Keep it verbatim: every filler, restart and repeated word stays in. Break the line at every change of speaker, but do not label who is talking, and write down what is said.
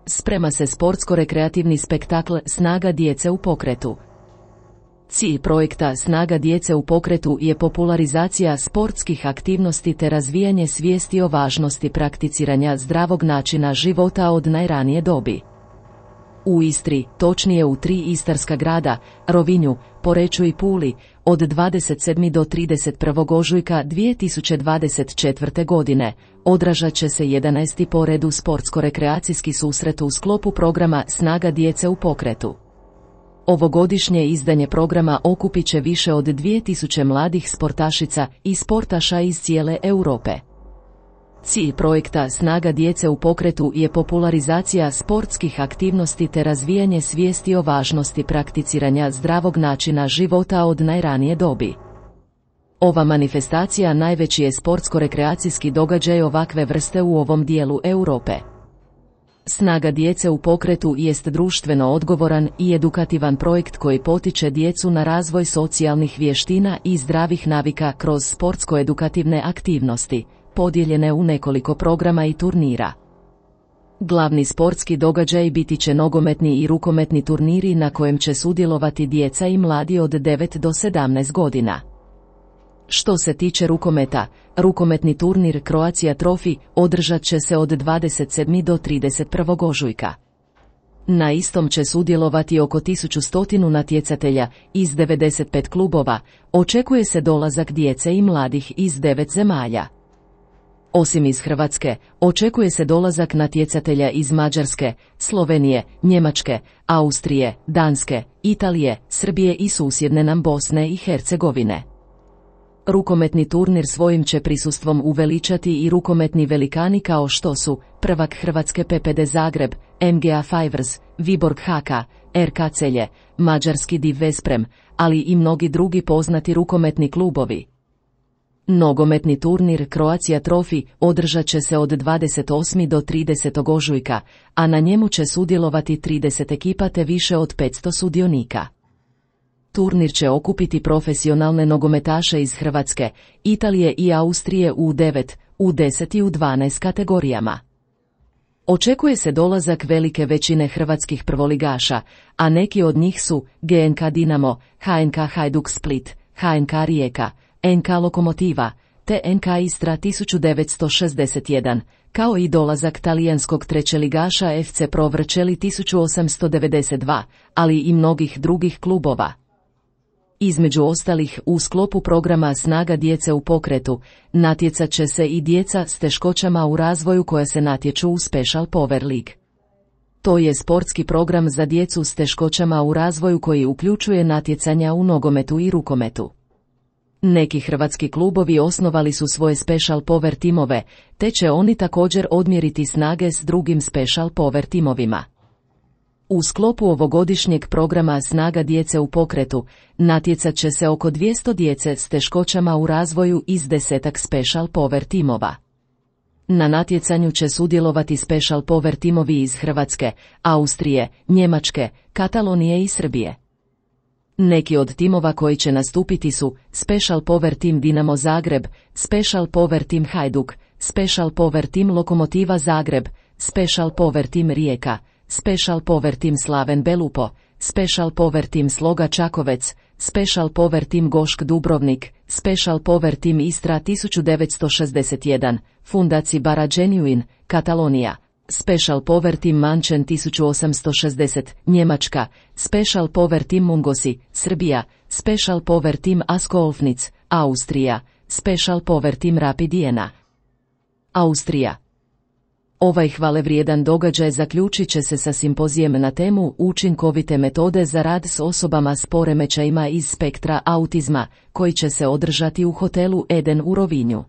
Sprema se sportsko-rekreativni spektakl Snaga djece u pokretu. Cilj projekta Snaga djece u pokretu je popularizacija sportskih aktivnosti te razvijanje svijesti o važnosti prakticiranja zdravog načina života od najranije dobi. U Istri, točnije u tri istarska grada, Rovinju, Poreču i Puli, od dvadeset sedmog do trideset prvog ožujka dvije tisuće dvadeset četvrte. godine, održat će se jedanaesti po redu sportsko-rekreacijski susret u sklopu programa Snaga djece u pokretu. Ovogodišnje izdanje programa okupit će više od dvije tisuće mladih sportašica i sportaša iz cijele Europe. Cilj projekta Snaga djece u pokretu je popularizacija sportskih aktivnosti te razvijanje svijesti o važnosti prakticiranja zdravog načina života od najranije dobi. Ova manifestacija najveći je sportsko-rekreacijski događaj ovakve vrste u ovom dijelu Europe. Snaga djece u pokretu jest društveno odgovoran i edukativan projekt koji potiče djecu na razvoj socijalnih vještina i zdravih navika kroz sportsko-edukativne aktivnosti, podijeljene u nekoliko programa i turnira. Glavni sportski događaj biti će nogometni i rukometni turniri na kojem će sudjelovati djeca i mladi od devet do sedamnaest godina. Što se tiče rukometa, rukometni turnir Croatia Trophy održat će se od dvadeset sedmog do trideset prvog ožujka. Na istom će sudjelovati oko tisuću sto natjecatelja iz devedeset pet klubova, očekuje se dolazak djece i mladih iz devet zemalja. Osim iz Hrvatske, očekuje se dolazak natjecatelja iz Mađarske, Slovenije, Njemačke, Austrije, Danske, Italije, Srbije i susjedne nam Bosne i Hercegovine. Rukometni turnir svojim će prisustvom uveličati i rukometni velikani kao što su prvak Hrvatske P P D Zagreb, M G A Fivers, Viborg Haka, R K Celje, mađarski Div Vesprem, ali i mnogi drugi poznati rukometni klubovi. Nogometni turnir Croatia Trophy održat će se od dvadeset osmog do tridesetog ožujka, a na njemu će sudjelovati trideset ekipa te više od petsto sudionika. Turnir će okupiti profesionalne nogometaše iz Hrvatske, Italije i Austrije u devet, u deset i u dvanaest kategorijama. Očekuje se dolazak velike većine hrvatskih prvoligaša, a neki od njih su G N K Dinamo, H N K Hajduk Split, H N K Rijeka, N K Lokomotiva, te N K Istra tisuću devetsto šezdeset jedan, kao i dolazak talijanskog trećeligaša F C Pro Vercelli tisuću osamsto devedeset dva, ali i mnogih drugih klubova. Između ostalih, u sklopu programa Snaga djece u pokretu, natjecat će se i djeca s teškoćama u razvoju koja se natječu u Special Power League. To je sportski program za djecu s teškoćama u razvoju koji uključuje natjecanja u nogometu i rukometu. Neki hrvatski klubovi osnovali su svoje Special Power timove, te će oni također odmjeriti snage s drugim Special Power timovima. U sklopu ovogodišnjeg programa Snaga djece u pokretu, natjecat će se oko dvjesto djece s teškoćama u razvoju iz desetak Special Power timova. Na natjecanju će sudjelovati Special Power timovi iz Hrvatske, Austrije, Njemačke, Katalonije i Srbije. Neki od timova koji će nastupiti su Special Power Team Dinamo Zagreb, Special Power Team Hajduk, Special Power Team Lokomotiva Zagreb, Special Power Team Rijeka, Special Power Team Slaven Belupo, Special Power Team Sloga Čakovec, Special Power Team Gošk Dubrovnik, Special Power Team Istra tisuću devetsto šezdeset jedan, Fundaci Bara Genuine, Katalonija, Special Power Team Mančen tisuću osamsto šezdeset, Njemačka, Special Power Team Mungosi, Srbija, Special Power Team Asko Olfnic, Austrija, Special Power Team Rapid Jena, Austrija. Ovaj hvalevrijedan događaj zaključit će se sa simpozijem na temu učinkovite metode za rad s osobama s poremećajima iz spektra autizma, koji će se održati u hotelu Eden u Rovinju.